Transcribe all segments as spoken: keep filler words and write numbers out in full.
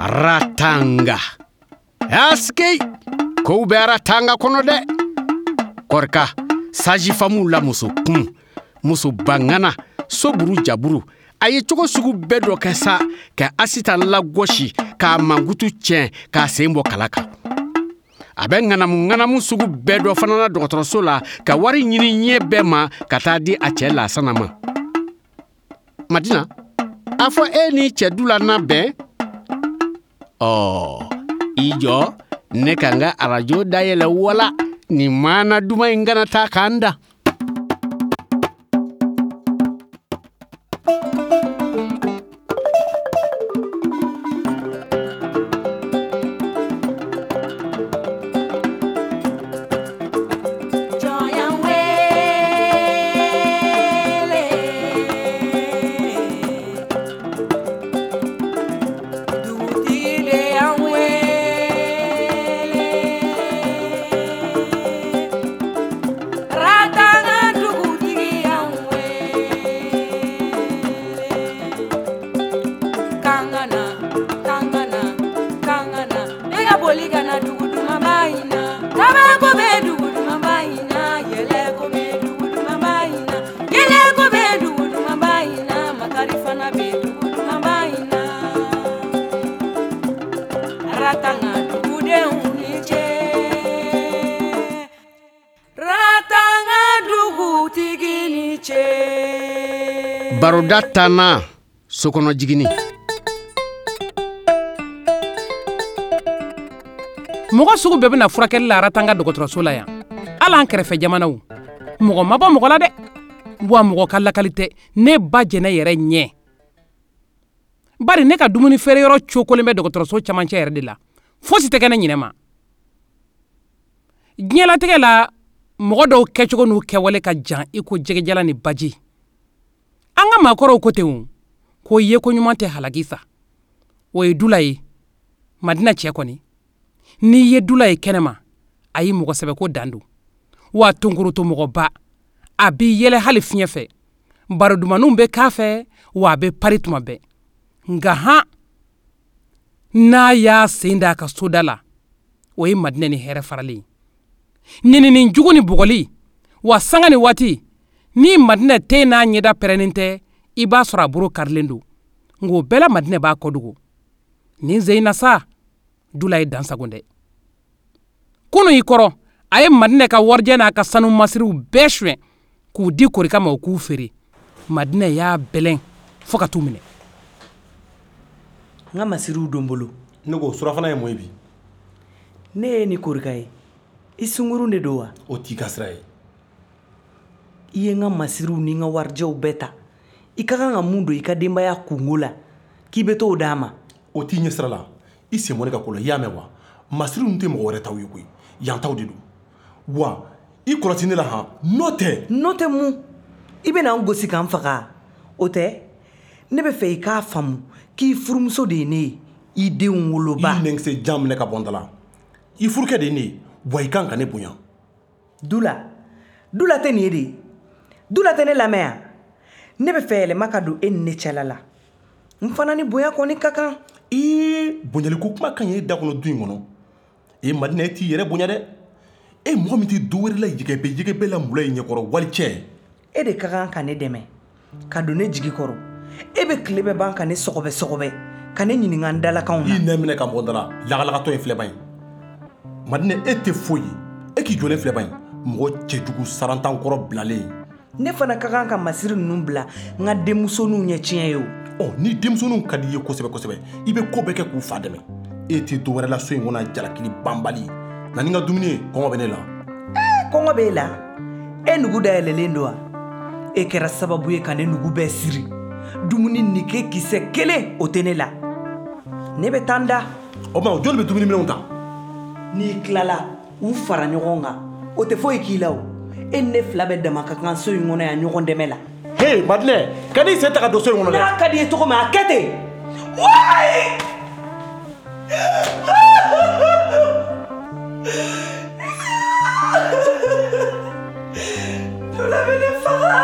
Ratanga. Askey, kow bɛ Ratanga kɔnɔ dɛ. Kɔrika, sajifamuw la muso kun, muso bangana, soburu jaburu. A ye cogo sugu bɛɛ dɔ kɛ sa ka Asitan lagosi, k'a mankutu tiɲɛ, k'a sen bɔ kala kan. A bɛ ŋanamu ŋanamu sugu bɛɛ dɔ fana na dɔgɔtɔrɔso la ka wari ɲini ɲɛ bɛɛ ma ka taa di a cɛ Lasana ma. Madina, a fɔ e ni cɛ Dula na bɛn? Ɔ, i jɔ, ne ka n ka arajo dayɛlɛ wala nin maana duman in kana taa k'an da. Baroda tanna sokɔnɔ jiginni. Mɔgɔ sugu bɛɛ bɛna furakɛli la Ratanga dɔgɔtɔrɔso la yan. Hali an kɛrɛfɛ jamanaw. Mɔgɔ ma bɔ mɔgɔ la dɛ. Wa mɔgɔ ka lakali tɛ ne ba jɛnɛ yɛrɛ ɲɛ. Bari ne ka dumuni feere yɔrɔ cokolen bɛ dɔgɔtɔrɔso camancɛ yɛrɛ de la. Fosi tɛ kɛ ne ɲinɛ ma. Diɲɛlatigɛ la, mɔgɔ dɔw kɛcogo n'u kɛwale ka jan i ko jɛgɛjalan ni baji. An ka maakɔrɔw ko ten o, ko yeko ɲuman tɛ halaki sa. O ye Dula ye. Madina cɛ kɔni. N'i ye Dula ye kɛnɛma, a y'i mɔgɔ sɛbɛ ko dan don. Wa tonkoroto mɔgɔba, a b'i yɛlɛ hali fiɲɛ fɛ. Baro dumanninw bɛ k'a fɛ, wa a bɛ pari tuma bɛɛ. Nka han, n'a y'a sen da a ka soda la, o ye Madina ni hɛrɛ faralen ye. Nenini jugu ni bugɔli, wa sanga ni waati, ni Madina ten n'a ɲɛda pɛrɛnnen tɛ, i b'a sɔrɔ a boro karilen don. Nka o bɛɛ la Madina b'a kɔdogo. Nin ze in na sa, Dula ye dan sagon dɛ. Kunun i kɔrɔ, a ye Madina ka warijɛ n'a ka sanu masiriw bɛɛ suɲɛ k'u di Korika ma o k'u feere. Madina y'a bɛlɛn fo ka t'u minɛ. N ka masiriw don bolo. Ne ko surafana ye mun ye bi? Ne ye ni Korika ye. I sungurun de don wa? O t'i ka sira ye. I ye n ka masiriw ni n ka warijɛw bɛɛ ta. I ka kan ka mun don i ka denbaya kungo la k'i bɛ t'o d'a ma? O t'i ɲɛ sira la. I sen bɔ ne ka ko la, i y'a mɛn wa? Masiriw tɛ mɔgɔ wɛrɛ taw ye koyi. Yan taw de don. Wa i kɔlɔsi ne la han, n'o tɛ. N'o tɛ mun? I bɛna n gosi k'an faga. O tɛ? Ne bɛ fɛ i k'a faamu k'i furumuso de ye ne ye, i denw woloba. I nɛnkisɛ jan minɛ ka bɔ n da la. I furukɛ de ye ne ye, wa i kan ka ne bonya. Dula, Dula tɛ nin ye de. Dula tɛ ne lamɛn yan. Ne bɛ fɛ yɛlɛma ka don e ni ne cɛla la. N fana ni bonya kɔni ka kan. Ee, bonyaliko kuma ka ɲi e da kɔnɔ du in kɔnɔ. E Madina, e t'i yɛrɛ bonya dɛ. E mɔgɔ min tɛ du wɛrɛ la yɛgɛbɛ yɛgɛbɛ la mula i ɲɛkɔrɔ wali cɛ. E de ka kan ka ne dɛmɛ, ka don ne jigi kɔrɔ. E bɛ tile bɛɛ ban ka ne sɔgɔbɛ sɔgɔbɛ, ka ne ɲininka n dalakanw na. I nɛ minɛ ka bɔ n da la, lagalagatɔ in filɛ ban ye. Madina, e tɛ foyi ye. E k'i jɔlen filɛ ban ye. Mɔgɔ cɛjugu sarantan kɔrɔ bilalen. Ne fana ka kan ka masiri ninnu bila n ka denmusoninw ɲɛ tiɲɛ ye o. Ɔ, ni denmusoninw ka di i ye kosɛbɛ kosɛbɛ, i bɛ ko bɛɛ kɛ k'u fa dɛmɛ. E tɛ dɔ wɛrɛ la so in kɔnɔ jalakili banbali. Na ni n ka dumuni ye, kɔngɔ bɛ ne la. Ee, kɔngɔ b'e la? E nugu dayɛlɛlen don wa? E kɛra sababu ye ka ne nugu bɛɛ siri. Dumuni nike kisɛ kelen o tɛ ne la. Ne bɛ taa n da. O tuma jɔnni bɛ dumuni minɛnw ta? N'i tilala, u fara ɲɔgɔn kan. O tɛ foyi k'i la o. E ni ne fila bɛ dama ka kan so in kɔnɔ yan ɲɔgɔn dɛmɛ la. Hey Madina, kan'i sen ta ka don so in kɔnɔ dɛ. N'a ka di i ye cogo min a kɛ ten. Wayi! Dula bɛ ne faga.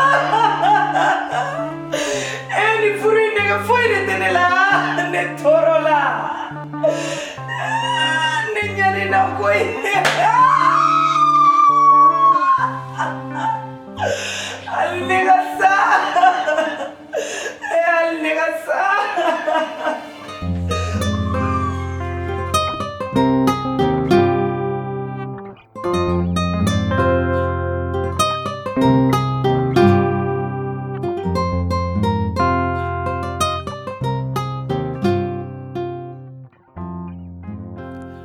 E ni furu in nege foyi de tɛ ne la. Ne tɔɔrɔ la. koyi. Hali ne ka sa. Hali ne ka sa.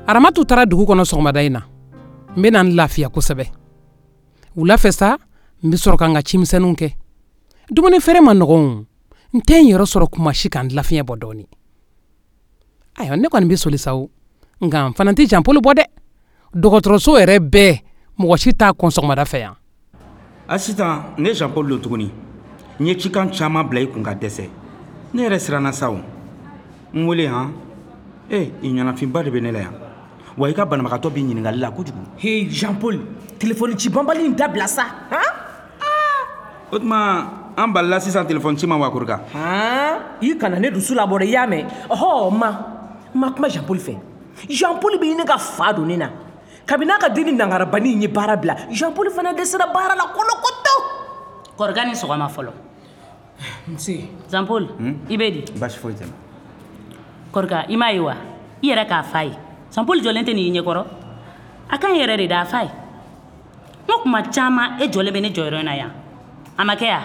Aramatu taara dugu kɔnɔ sɔgɔmada in na. N bɛna n lafiya kosɛbɛ. Wula fɛ sa, n bɛ sɔrɔ ka n ka cimisɛnninw kɛ. Dumuni feere ma nɔgɔn. N tɛ n yɛrɛ sɔrɔ kuma si ka n lafiɲɛ bɔ dɔɔnin. Ayiwa, ne kɔni bɛ soli sa o. Nka n fana tɛ Jean Paul bɔ dɛ. Dɔgɔtɔrɔso yɛrɛ bɛɛ, mɔgɔ si t'a kɔn sɔgɔmada fɛ yan. Asitan, ne Jean Paul don tuguni. N ye cikan caman bila i kun ka dɛsɛ. Ne yɛrɛ siranna sa o. N wele han. Eh, i ɲɛnafinba de bɛ ne la yan. Wa i ka banabagatɔ b'i ɲininkali la kojugu. Hey Jean Paul, telefɔni ci banbali in dabila sa. Han? O tuma an balila sisan telefɔni ci ma wa Korika? Han? I kana ne dusu labɔ dɛ, i y'a mɛn? Ɔhɔ, ma n ma kuma Jean Paul fɛ. Jean Paul bɛ ɲini ka fa don ne na. Kabini n'a ka den ni nangarabani in ye baara bila, Jean Paul fana dɛsɛra baara la kolokoto. Korika ni sɔgɔma fɔlɔ. Nse. Jean Paul, i bɛ di? Baasi foyi tɛ n na. Korika, i m'a ye wa? I yɛrɛ k'a fa ye. Jean Paul jɔlen tɛ nin ɲɛkɔrɔ. A kan yɛrɛ de da fa ye. N ko kuma caman e jɔlen bɛ ne jɔyɔrɔ in na yan. A ma kɛ yan?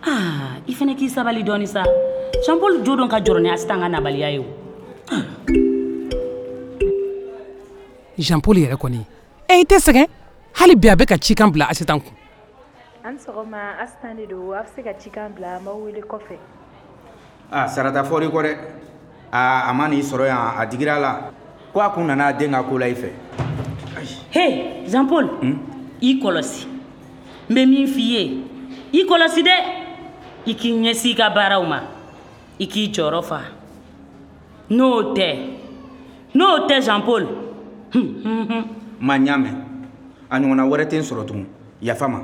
Ah, i fana k'i sabali dɔɔni sa. Jean Paul jo don ka jɔrɔ ni Asitan ka nabaliya ye o. Jean Paul yɛrɛ kɔni, e i tɛ sɛgɛn. Hali bi a bɛ ka cikan bila Asitan kun. An sɔgɔma, Asitan de don. A bɛ se ka cikan bila, an b'aw wele kɔfɛ. Ah, sarata fɔr'i kɔ dɛ. Aa, a ma n'i sɔrɔ yan, a digira la. Ko a kun nana a den ka ko la i fɛ. He, Jean Paul, i kɔlɔsi. N bɛ min f'i ye, i kɔlɔsi dɛ. I k'i ɲɛsin i ka baaraw ma. I k'i jɔyɔrɔ fa. N'o tɛ, n'o tɛ Jean Paul. Ma n y'a mɛn. A ɲɔgɔnna wɛrɛ tɛ n sɔrɔ tugun. Yafa ma.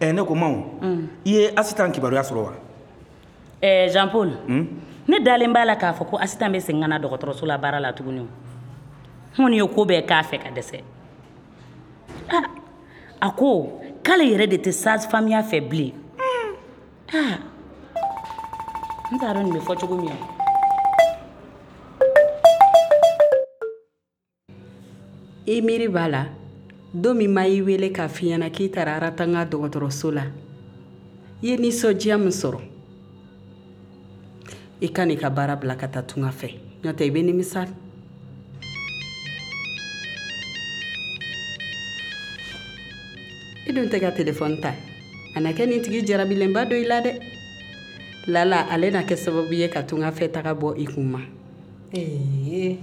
Ɛ, ne ko ma o, i ye Asitan kibaruya sɔrɔ wa? Ɛɛ, Jean Paul. Ne dalen b'a la k'a fɔ ko Asitan bɛ segin ka na dɔgɔtɔrɔso la baara la tuguni. N kɔni ye ko bɛɛ k'a fɛ ka dɛsɛ. Ah, a ko k'ale yɛrɛ de tɛ sage-femme fɛ bilen. Ah, n t'a dɔn nin bɛ fɔ cogo min na. I miiri b'a la, don min ma y'i wele k'a f'i ɲɛna k'i taara Aratanga dɔgɔtɔrɔso la, i ye nisɔndiya min sɔrɔ. I ka n'i ka baara bila ka taa tunga fɛ, n'o tɛ i bɛ nimisa. I dun tɛ ka telefɔni ta. A na kɛ nin tigi jarabilenba dɔ i la dɛ. Lala, ale na kɛ sababu ye ka tunga fɛ taga bɔ i kun ma. Ee,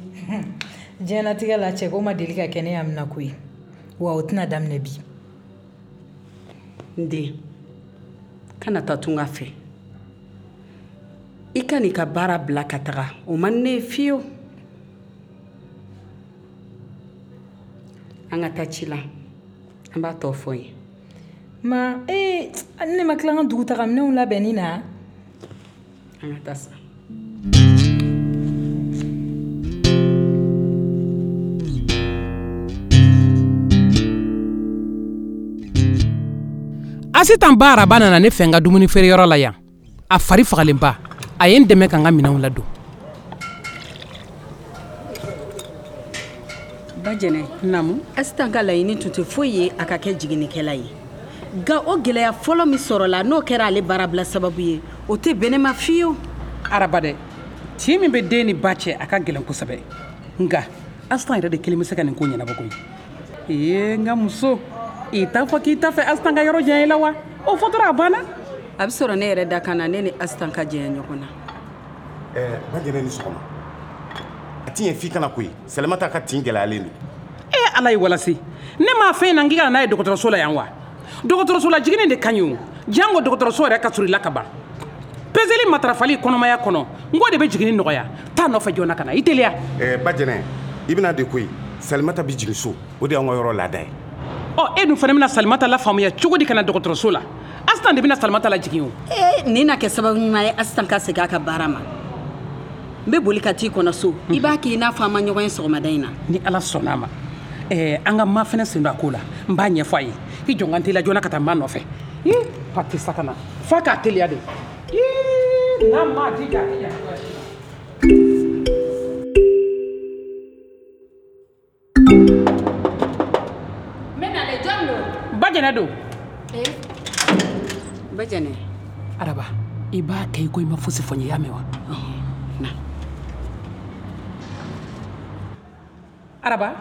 diɲɛlatigɛ la cɛko ma deli ka kɛ ne amina ko ye. Wa o tɛna daminɛ bi. N den, kana taa tunga fɛ. I ka n'i ka baara bila ka taga, o man ne ye fiyewu. An ka taa ci la, an b'a tɔ fɔ ye. Ma, ee, ne ma tila n ka dugutagaminɛnw labɛnni na. An ka taa sa. Asitan ba Araba nana ne fɛ n ka dumuni feereyɔrɔ la yan. A fari fagalenba. A ye n dɛmɛ ka n ka minɛnw ladon. Ba Jɛnɛ. Naamu. Asitan ka laɲini tun tɛ foyi ye a ka kɛ jiginnikɛla ye. Nka o gɛlɛya fɔlɔ min sɔrɔla n'o kɛra ale baarabila sababu ye, o tɛ bɛn ne ma fiyewu. Araba dɛ, tin min bɛ den ni ba cɛ, a ka gɛlɛn kosɛbɛ. Nka Asitan yɛrɛ de kelen bɛ se ka nin ko ɲɛnabɔ koyi. Ee, n ka muso, i t'a fɔ k'i t'a fɛ Asitan ka yɔrɔ janya i la wa? O fɔ dɔrɔn a banna. A bɛ sɔrɔ ne yɛrɛ da kan na, ne ni Asitan ka janya ɲɔgɔn na. Ɛɛ, ba Jɛnɛ ni sɔgɔma. A ti ɲɛ f'i kana koyi. Salimata ka tin gɛlɛyalen don. E Ala ye walasi. Ne m'a fɛn na n k'i ka na n'a ye dɔgɔtɔrɔso la yan wa? Dɔgɔtɔrɔso la jiginni de ka ɲi o. Jango dɔgɔtɔrɔso yɛrɛ ka surun i la ka ban. Peseli matarafali kɔnɔmaya kɔnɔ, n k'o de bɛ jiginni nɔgɔya. Taa nɔfɛ joona ka na, i teliya. Ɛɛ, ba Jɛnɛ, i bɛna de koyi. Salimata bɛ jigin so, o de y'anw ka yɔrɔ laada ye. Ɔ, e dun fana bɛna Salimata lafaamuya cogo di ka na dɔgɔtɔrɔso la? Asitan de bɛna Salimata lajigin o. Ee, nin na kɛ sababu ɲuman ye Asitan ka segin a ka baara ma. N bɛ boli ka t'i kɔnɔ so. I b'a kɛ i n'a fɔ an ma ɲɔgɔn ye sɔgɔmada in na. Ni Ala sɔnna a ma. Ɛɛ an ka ma fɛnɛ sen don a ko la. N b'a ɲɛfɔ a ye. I jɔ n ka n teliya joona ka taa ma nɔfɛ. Ii fa tɛ sa ka na. F'a k'a teliya de. Ii n'a ma jija a tɛ ɲa cogoya si la. N bɛ nalen, jɔn don? Ba Jɛnɛ don. Ee. Ba Jɛnɛ. Araba, i b'a kɛ i ko i ma fosi fɔ n ye, i y'a mɛn wa? Na. Araba,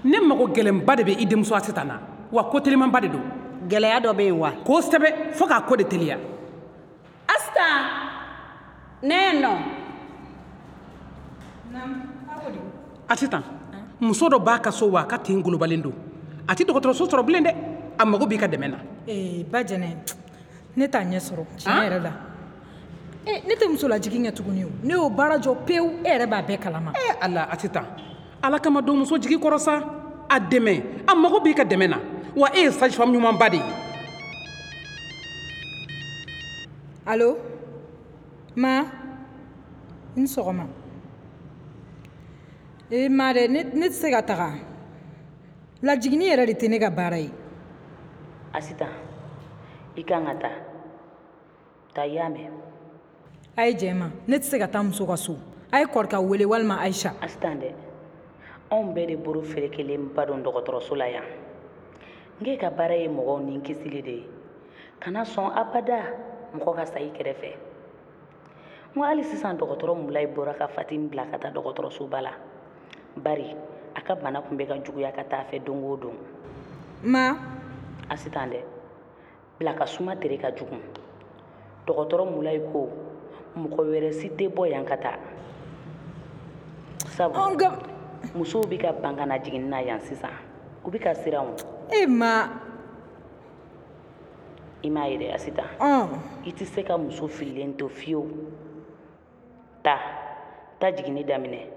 ne mago gɛlɛnba de bɛ i denmuso Asitan na, wa ko telimanba de don. Gɛlɛya dɔ bɛ yen wa? Kosɛbɛ, fo k'a ko de teliya. Asitan, ne ye nɔ. Asitan, muso dɔ b'a ka so wa a ka tin golobalen don. A tɛ dɔgɔtɔrɔso sɔrɔ bilen dɛ. A mago b'i ka dɛmɛ na. Ee ba Jɛnɛ, ne t'a ɲɛ sɔrɔ tiɲɛ yɛrɛ la. Ee ne tɛ muso lajigin kɛ tuguni o. Ne y'o baara jɔ pewu, e yɛrɛ b'a bɛɛ kalama. Ee Ala, Asitan, Ala kama don muso jigi kɔrɔ sa. A dɛmɛ, a mago b'i ka dɛmɛ na. Wa e ye sage femme ɲumanba de ye. Allo? Ma? I ni sɔgɔma. Ee ma dɛ, ne ne tɛ se ka taga. Lajiginni yɛrɛ de tɛ ne ka baara ye. Asitan, i kan ka taa. Taa, i y'a mɛn. A ye jɛ ma, ne tɛ se ka taa muso ka so. A ye kɔrɔkɛ wele walima Ayisa. Asitan dɛ, anw bɛɛ de bolo ferekelenba don dɔgɔtɔrɔso la yan. N k'e ka baara ye mɔgɔw ni kisili de ye. Kana sɔn abada mɔgɔ ka sa i kɛrɛfɛ. N ko hali sisan dɔgɔtɔrɔ Mulayi bɔra ka Fatimi bila ka taa dɔgɔtɔrɔsoba la. Bari a ka bana tun bɛ ka juguya ka taa fɛ don o don. Ma? Asitan dɛ, bila ka suma tere ka jugu. Dɔgɔtɔrɔ Mulayi ko mɔgɔ wɛrɛ si tɛ bɔ yan ka taa. Sabu musow bɛ ka ban ka na jiginni na yan sisan. U bɛ ka siran o. E ma. I m'a ye dɛ Asitan. I tɛ se ka muso fililen to fiyewu. Taa, taa jiginni daminɛ.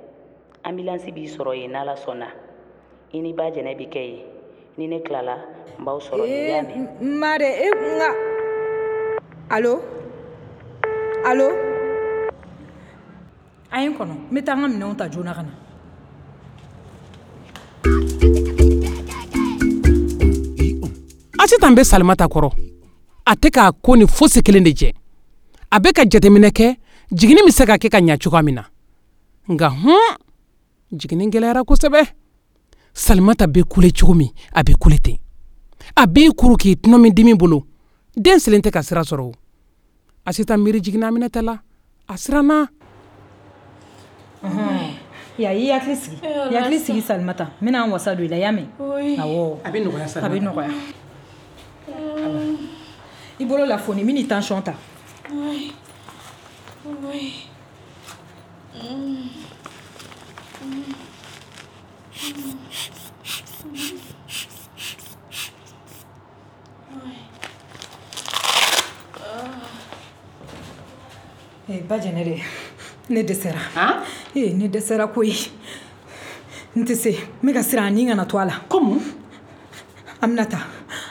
Ambulance b'i sɔrɔ yen n'Ala sɔnna. I ni ba Jɛnɛ bɛ kɛ yen. Ni ne tilala, n b'aw sɔrɔ yen, i y'a mɛn. Ee ma dɛ, e nka. Allo? Allo? A ye n kɔnɔ, n bɛ taa n ka minɛnw ta joona ka na. Asitan bɛ Salimata kɔrɔ. A tɛ k'a ko ni fosi kelen de jɛ. A bɛ ka jateminɛ kɛ jiginni bɛ se ka kɛ ka ɲa cogoya min na. Nka hun, jiginni gɛlɛyara kosɛbɛ. Salimata bɛ kule cogo min, a bɛ kule ten. A b'i kuru k'i tɔnɔmi dimi bolo. Den silen tɛ ka sira sɔrɔ o. Asitan miiri jiginna Aminata la. A siranna. Ya, i hakili sigi. I hakili sigi Salimata. N bɛna n wasa don i la, i y'a mɛn? Awɔ. A bɛ nɔgɔya Salimata. A bɛ nɔgɔya. I bolo la foni, n bɛn'i tension ta. Oui. Oui. Mm. Mm. Mm. Eh, ba Jɛnɛ dɛ, ne dɛsɛra. Eh, ne dɛsɛra koyi. N tɛ se, n bɛ ka siran a ni kana to a la. Comment? Aminata,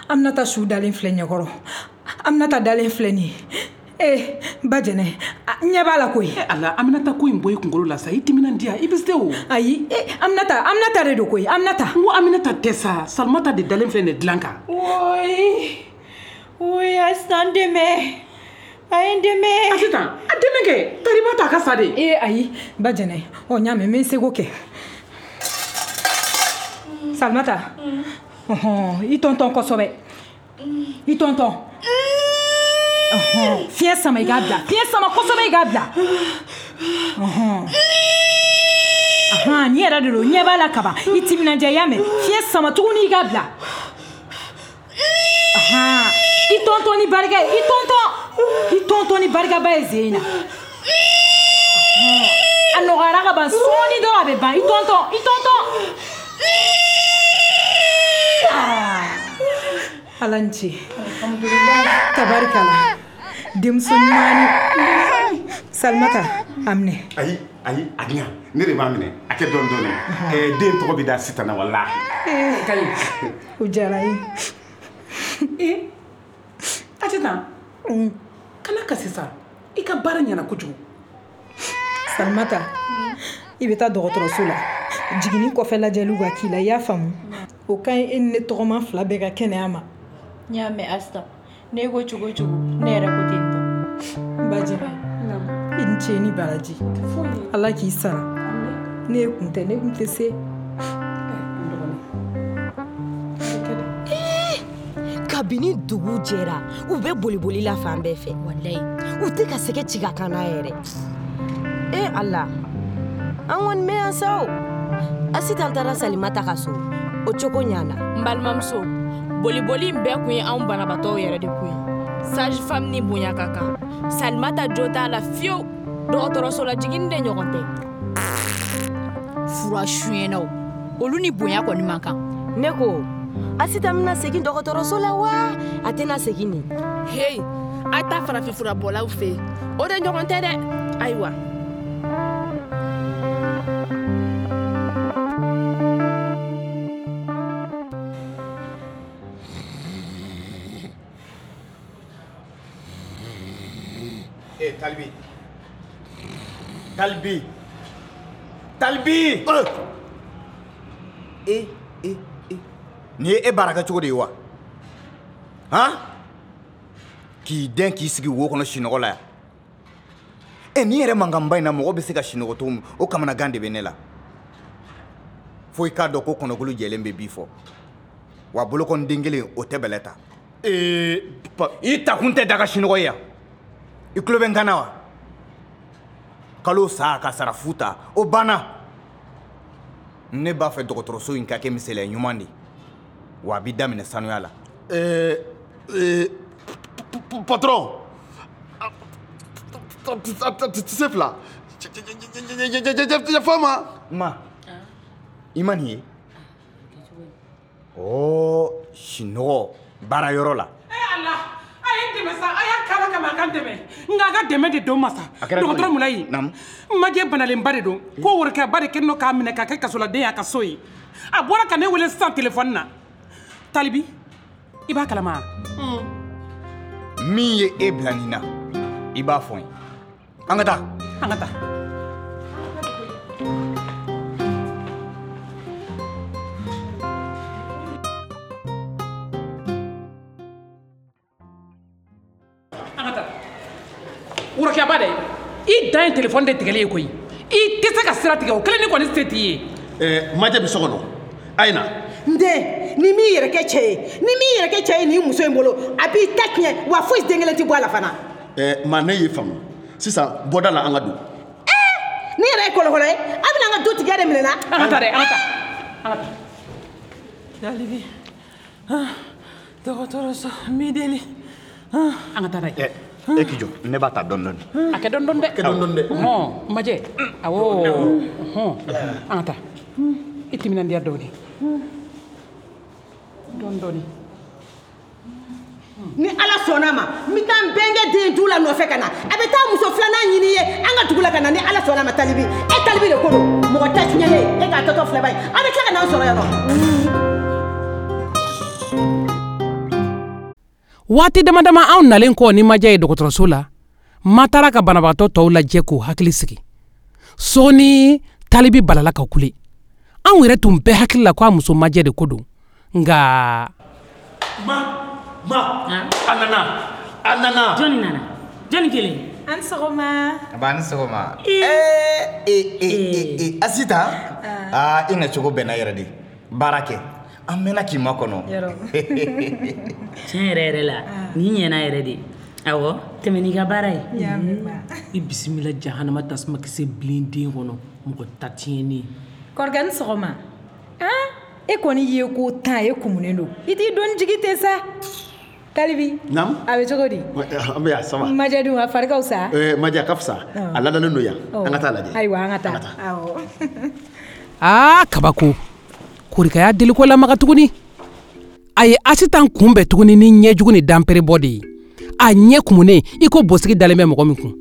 Aminata su dalen filɛ ɲɛkɔrɔ. Aminata dalen filɛ nin ye. Eh, ba Jɛnɛ, n ɲɛ b'a la koyi. Eh Ala, Aminata ko in bɔ i kunkolo la sa, i timinandiya, i bɛ se o. Ayi, eh, Aminata, Aminata de don koyi, Aminata. N ko Aminata tɛ sa, Salimata de dalen filɛ nin dilan kan. Woyi, woyi, Asitan dɛmɛ. A ye n dɛmɛ. Asitan, a dɛmɛ kɛ, tari b'a to a ka sa de. Eh ayi, ba Jɛnɛ, ɔ n y'a mɛn, n bɛ n seko kɛ. Salimata, ɔhɔn, i tɔntɔn kosɛbɛ. I tɔntɔn. Ɔhɔn, fiɲɛ sama i k'a bila, fiɲɛ sama kosɛbɛ i k'a bila. Ɔhɔn. Ahan, nin yɛrɛ de don, ɲɛ b'a la kaban. I timinandiya, i y'a mɛn. Fiɲɛ sama tuguni i k'a bila. Ahan, i tɔntɔn ni barika ye, i tɔntɔn. I tɔntɔn ni barikaba ye zen in na. A nɔgɔyara ka ban, sɔɔni dɔrɔn a bɛ ban. I tɔntɔn, i tɔntɔn. Ah, Ala ni ce. Tabarikala. Denmuso ɲumanni. Salimata, a minɛ. Ayi, ayi, a di yan. Ne de b'a minɛ. A kɛ dɔɔni dɔɔni. Ɛɛ, den tɔgɔ bɛ da Sitan na walahi. Ee, o diyara n ye. Ee, Asitan, kana kasi sa. I ka baara ɲɛna kojugu. Salimata, i bɛ taa dɔgɔtɔrɔso la. Jiginni kɔfɛ lajɛliw ka k'i la, i y'a faamu? O ka ɲi e ni ne tɔgɔma fila bɛɛ ka kɛnɛya ma. N y'a mɛn Asita. Ne ko cogo o cogo, ne yɛrɛ ko ten tɔ. N bajɛnɛ, i ni ce ni baraji. Ala k'i sara. Ne kun tɛ, ne kun tɛ se. Kabini dugu jɛra, u bɛ boliboli la fan bɛɛ fɛ. Walayi, u tɛ ka sɛgɛ ci ka kan n'a yɛrɛ. E Ala, an kɔni bɛ yan sa o. Asitan taara Salimata ka so, o cogo ɲana. N balimamuso, boliboli in bɛɛ kun ye anw banabaatɔw yɛrɛ de kun ye. Sage femme ni bonya ka kan. Salimata jo t'a la fiyewu. Dɔgɔtɔrɔso la jiginni de ɲɔgɔn tɛ. Fura suyɛnnaw, olu ni bonya kɔni man kan. Ne ko, Asitan bɛna segin dɔgɔtɔrɔso la wa? A tɛna segin nin. Hey, a taa farafinfurabɔlaw fɛ yen. O de ɲɔgɔn tɛ dɛ. Ayiwa. Eh, Talibi. Talibi. Talibi. Eh, eh, eh. Nin ye e baara kɛ cogo de ye wa? Han? K'i den k'i sigi wo kɔnɔ sinɔgɔ la yan. E nin yɛrɛ mankanba in na mɔgɔ bɛ se ka sinɔgɔ cogo min, o kamanagan de bɛ ne la. Fo i k'a dɔn ko kɔnɔkulu jɛlen bɛ bi fɔ. Wa bolokɔniden kelen o tɛ bɛlɛ ta. Ee, i takun tɛ daga sinɔgɔ ye yan. I tulo bɛ n kan na wa? Kalo sa ka sara fu ta, o banna. Ne b'a fɛ dɔgɔtɔrɔso in ka kɛ misaliya ɲuman de ye. Wa a b'i daminɛ sanuya la. Ɛɛ, ee, patron, tɛ fila. Yafa ma. Ma, i ma nin ye? Ɔ, sinɔgɔ baara yɔrɔ la. E Ala, a ye n dɛmɛ sa, a y'a k'ala kama a ka n dɛmɛ. Nka a ka dɛmɛ de don ma sa. Dɔgɔtɔrɔ Mulayi, majɛ banalenba de don. Ko worokɛba de kɛlen don k'a minɛ k'a kɛ kasoladen ye a ka so ye. A bɔra ka ne wele sisan telefɔni na. Talibi, i b'a kalama? Min ye e bila nin na, i b'a fɔ n ye. An ka taa. An ka taa. An ka taa. Worokɛba dɛ, i dan ye telefɔni de tigɛli ye koyi. I tɛ se ka sira tigɛ o kelen ni kɔni se t'i ye. Ɛɛ, majɛ bɛ so kɔnɔ. A ye na. N den, ni m'i yɛrɛ kɛ cɛ ye, ni m'i yɛrɛ kɛ cɛ ye nin muso in bolo, a b'i ta tiɲɛ wa foyi den kelen tɛ bɔ a la fana. Ɛɛ, maa ne y'i faamu. Sisan bɔda la an ka don. Ɛɛ, ne yɛrɛ ye kɔlɔkɔlɔ ye, a bɛna an ka dutigiya de minɛ n na. An ka taa dɛ, an ka taa. An ka taa. Talibi, dɔgɔtɔrɔso n b'i deli. An ka taa n'a ye. E k'i jɔ, ne b'a ta dɔɔni dɔɔni. A kɛ dɔɔni dɔɔni dɛ. Kɛ dɔɔni dɔɔni dɛ. Hɔn, majɛ. Awɔ. Hɔn, an ka taa. I timinandiya dɔɔni. Dɔɔni dɔɔni. Ni Ala sɔnna a ma, n bɛ taa n bɛnkɛ den du la nɔfɛ ka na. A bɛ taa muso filanan ɲini i ye an ka dugu la ka na ni Ala sɔnna a ma Talibi. E Talibi de ko don, mɔgɔ ta tiɲɛnen, e k'a tɔtɔ filɛ ba ye. A bɛ tila ka n'an sɔrɔ yan nɔ. Waati dama dama anw nalen kɔ ni majɛ ye dɔgɔtɔrɔso la, ma taara ka banabagatɔ tɔw lajɛ k'u hakili sigi. Sɔɔni Talibi balala ka kule. Anw yɛrɛ tun bɛɛ hakili la k'a muso majɛ de ko don. Nka ma, ma, a nana, a nana. Jɔnni nana? Jɔnni kelen? An sɔgɔma. A ni sɔgɔma. Ee, ee, ee, ee, Asitan. Aa, i nacogo bɛnna yɛrɛ de. Baara kɛ. An mɛnna k'i makɔnɔ. Tiɲɛ yɛrɛ yɛrɛ la, nin ɲɛna yɛrɛ de. Awɔ, tɛmɛ n'i ka baara ye. I bisimila jahanama tasuma kisɛ bilen den kɔnɔ, mɔgɔ ta tiɲɛnen. Kɔrɔkɛ ni sɔgɔma. Han, e kɔni ye ko tan e kumunen don. I t'i dɔnni jigi ten sa. Talibi. Naamu. A bɛ cogo di? An bɛ yan, ça va. Majɛ dun, a fari ka fisa? Ɛɛ, majɛ a ka fisa. A ladalen don yan. An ka taa lajɛ. Ayiwa, an ka taa. Awɔ. Aa, kabako. Korika y'a deliko lamaga tuguni. A ye Asitan kunbɛn tuguni ni ɲɛjugu ni danperebɔ de ye. A ɲɛ kumunen i ko bosigi dalen bɛ mɔgɔ min kun.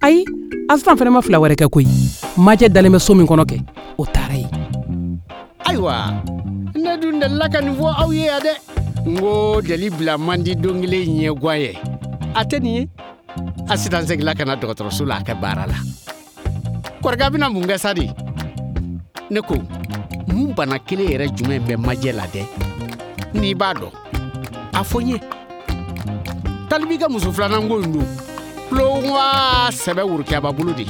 Ayi, Asitan fana ma fila wɛrɛ kɛ koyi. Majɛ dalen bɛ so min kɔnɔ kɛ, o taara yen. Ayiwa, ne dun delila ka nin fɔ aw ye yan dɛ. N ko deli bila man di don kelen ɲɛguwan ye. A tɛ nin ye. Asitan seginna ka na dɔgɔtɔrɔso la a ka baara la. Kɔrika bɛna mun kɛ sa de? Ne ko mun bana kelen yɛrɛ jumɛn bɛ majɛ la dɛ? N'i b'a dɔn a fɔ n ye. Talibi ka muso filanan ko in dun tulon wa sɛbɛ worokiyaba bolo de.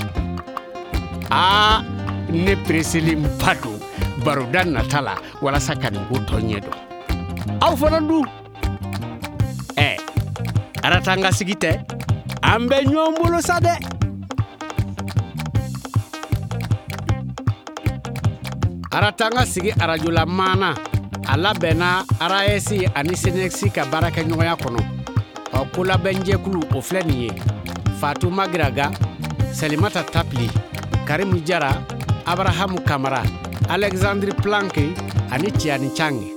Aa, ne pereselenba don baroda nata la walasa ka nin ko tɔ ɲɛ dɔn. Aw fana dun? Ɛ, Aratanga sigi tɛ, an bɛ ɲɔgɔn bolo sa dɛ. Aratanga sigi arajola maana a labɛnna R A S ani C N S ka baarakɛɲɔgɔnya kɔnɔ. Ɔ, kolabɛnjɛkulu o filɛ nin ye: Fatou Magiraga, Salimata Tapili, Karimu Jara, Abrahamu Kamara, Alexandre Planck ani Tiani Chang.